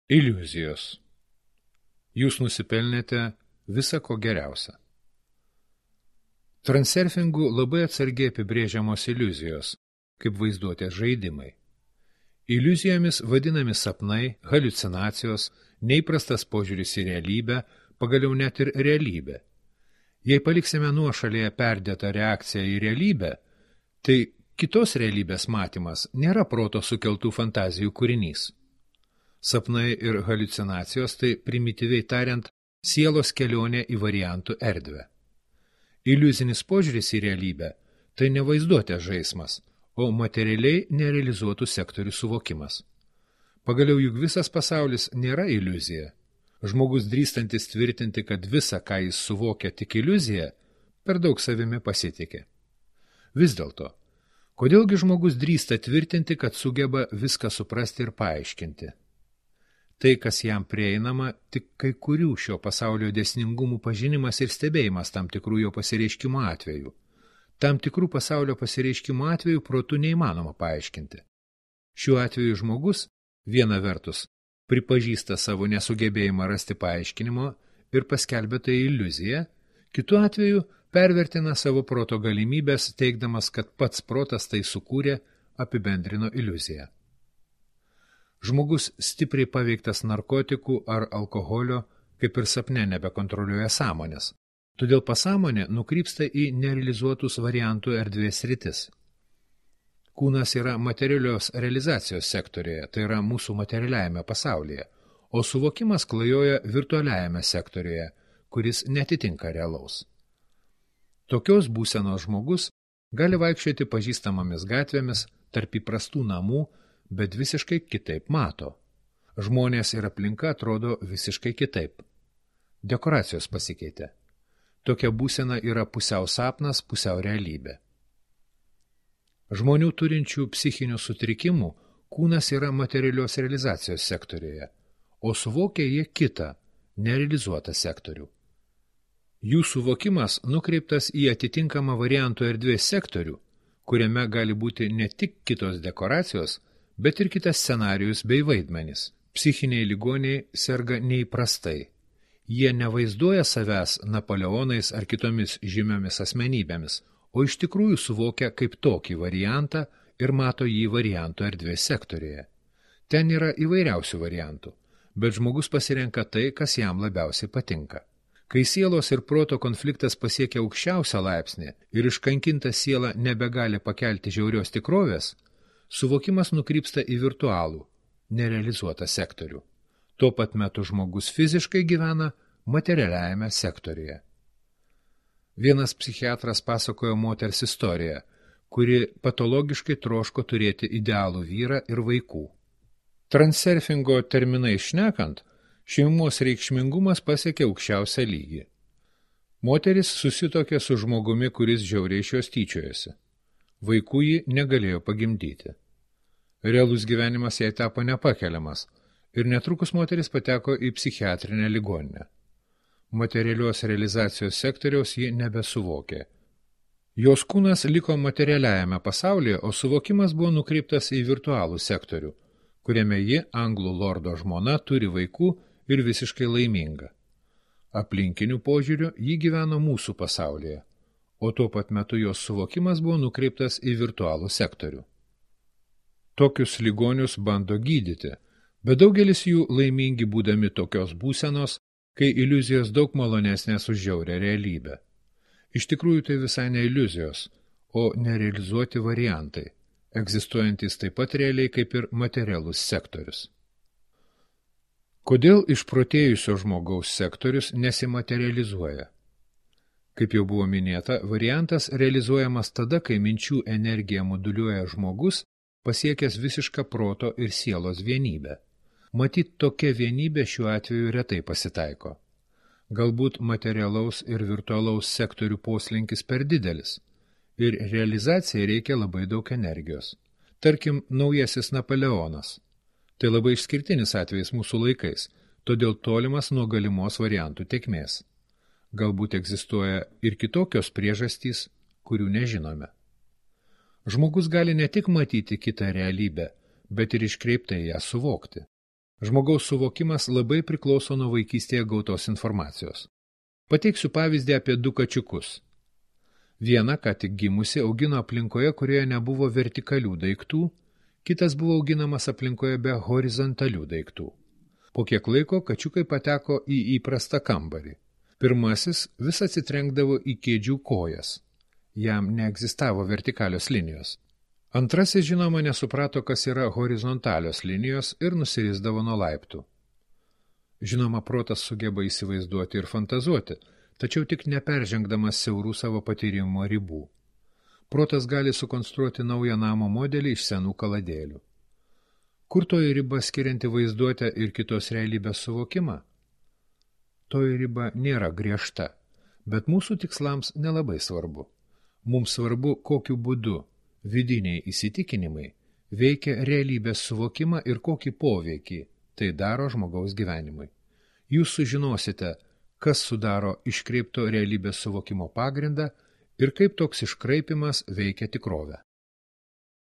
Iliuzijos. Jūs nusipelnėte visa ko geriausia. Transurfingu labai atsargiai apibrėžiamos iliuzijos, kaip vaizduotės žaidimai. Iliuzijomis vadinami sapnai, haliucinacijos, neįprastas požiūris į realybę, pagaliau net ir realybė. Jei paliksime nuošalėje perdėtą reakciją į realybę, tai kitos realybės matymas nėra proto sukeltų fantazijų kūrinys. Sapnai ir haliucinacijos tai primityviai tariant sielos kelionė į variantų erdvę. Iliuzinis požiūris į realybę tai ne vaizduotės žaismas, o materialiai nerealizuotų sektorių suvokimas. Pagaliau juk visas pasaulis nėra iliuzija. Žmogus drįstantis tvirtinti, kad visa, ką jis suvokia tik iliuzija, per daug savimi pasitikė. Vis dėlto, kodėlgi žmogus drįsta tvirtinti, kad sugeba viską suprasti ir paaiškinti? Tai, kas jam prieinama, tik kai kurių šio pasaulio dėsningumų pažinimas ir stebėjimas tam tikrų jo pasireiškimo atveju. Tam tikrų pasaulio pasireiškimo atveju protu neįmanoma paaiškinti. Šiuo atveju žmogus, viena vertus, pripažįsta savo nesugebėjimą rasti paaiškinimo ir paskelbia tai iliuziją, kitu atveju pervertina savo proto galimybės, teigdamas, kad pats protas tai sukūrė, apibendrino iliuziją. Žmogus stipriai paveiktas narkotikų ar alkoholio, kaip ir sapne nebekontroliuoja sąmonės. Todėl pasąmonė nukrypsta į nerealizuotus variantų erdvės sritis. Kūnas yra materialios realizacijos sektorijoje, tai yra mūsų materialiajame pasaulyje, o suvokimas klajoja virtualiajame sektorijoje, kuris netitinka realaus. Tokios būsenos žmogus gali vaikščioti pažįstamomis gatvėmis tarp įprastų namų, bet visiškai kitaip mato. Žmonės ir aplinka atrodo visiškai kitaip. Dekoracijos pasikeitė. Tokia būsena yra pusiau sapnas, pusiau realybė. Žmonių turinčių psichinių sutrikimų kūnas yra materialios realizacijos sektorijoje, o suvokia jie kitą, nerealizuotą sektorių. Jų suvokimas nukreiptas į atitinkamą variantų erdvės sektorių, kuriame gali būti ne tik kitos dekoracijos, bet ir kitas scenarijus bei vaidmenys. Psichiniai ligoniai serga neįprastai. Jie nevaizduoja savęs Napoleonais ar kitomis žymiomis asmenybėmis, o iš tikrųjų suvokia kaip tokį variantą ir mato jį variantų erdvės sektorijoje. Ten yra įvairiausių variantų, bet žmogus pasirenka tai, kas jam labiausiai patinka. Kai sielos ir proto konfliktas pasiekia aukščiausią laipsnį ir iškankinta siela nebegali pakelti žiaurios tikrovės, suvokimas nukrypsta į virtualų, nerealizuotą sektorių. Tuo pat metu žmogus fiziškai gyvena materialiajame sektoriuje. Vienas psichiatras pasakojo moters istoriją, kuri patologiškai troško turėti idealų vyrą ir vaikų. Transurfingo terminai šnekant, šeimos reikšmingumas pasiekė aukščiausią lygį. Moteris susituokė su žmogumi, kuris žiauriai iš jos tyčiojasi. Vaikų ji negalėjo pagimdyti. Realus gyvenimas jai tapo nepakeliamas ir netrukus moteris pateko į psichiatrinę ligoninę. Materialios realizacijos sektoriaus ji nebesuvokė. Jos kūnas liko materialiajame pasaulyje, o suvokimas buvo nukreiptas į virtualų sektorių, kuriame ji, anglų lordo žmona, turi vaikų ir visiškai laiminga. Aplinkinių požiūrių ji gyveno mūsų pasaulyje, o tuo pat metu jos suvokimas buvo nukreiptas į virtualų sektorių. Tokius ligonius bando gydyti, bet daugelis jų laimingi būdami tokios būsenos, kai iliuzijos daug malonesnės už žiaurią realybę. Iš tikrųjų tai visai ne iliuzijos, o nerealizuoti variantai, egzistuojantys taip pat realiai kaip ir materialus sektorius. Kodėl išprotėjusio žmogaus sektorius nesimaterializuoja? Kaip jau buvo minėta, variantas realizuojamas tada, kai minčių energiją moduliuoja žmogus, pasiekęs visišką proto ir sielos vienybę. Matyt, tokia vienybė šiuo atveju retai pasitaiko. Galbūt materialaus ir virtualaus sektorių poslinkis per didelis, ir realizacijai reikia labai daug energijos. Tarkim, naujasis Napoleonas. Tai labai išskirtinis atvejis mūsų laikais, todėl tolimas nuo galimos variantų tėkmės. Galbūt egzistuoja ir kitokios priežastys, kurių nežinome. Žmogus gali ne tik matyti kitą realybę, bet ir iškreiptai ją suvokti. Žmogaus suvokimas labai priklauso nuo vaikystėje gautos informacijos. Pateiksiu pavyzdį apie 2 kačiukus. Vieną, ką tik gimusi, augino aplinkoje, kurioje nebuvo vertikalių daiktų, kitas buvo auginamas aplinkoje be horizontalių daiktų. Po kiek laiko kačiukai pateko į įprastą kambarį. Pirmasis vis atsitrenkdavo į kėdžių kojas. Jam neegzistavo vertikalios linijos. Antrasis, žinoma, nesuprato, kas yra horizontalios linijos ir nusirisdavo nuo laiptų. Žinoma, protas sugeba įsivaizduoti ir fantazuoti, tačiau tik neperžengdamas siaurų savo patyrimo ribų. Protas gali sukonstruoti naują namo modelį iš senų kaladėlių. Kur toji riba skirianti vaizduotę ir kitos realybės suvokimą? Toji riba nėra griežta, bet mūsų tikslams nelabai svarbu. Mums svarbu, kokiu būdu vidiniai įsitikinimai veikia realybės suvokimą ir kokį poveikį tai daro žmogaus gyvenimui. Jūs sužinosite, kas sudaro iškreipto realybės suvokimo pagrindą ir kaip toks iškraipimas veikia tikrovę.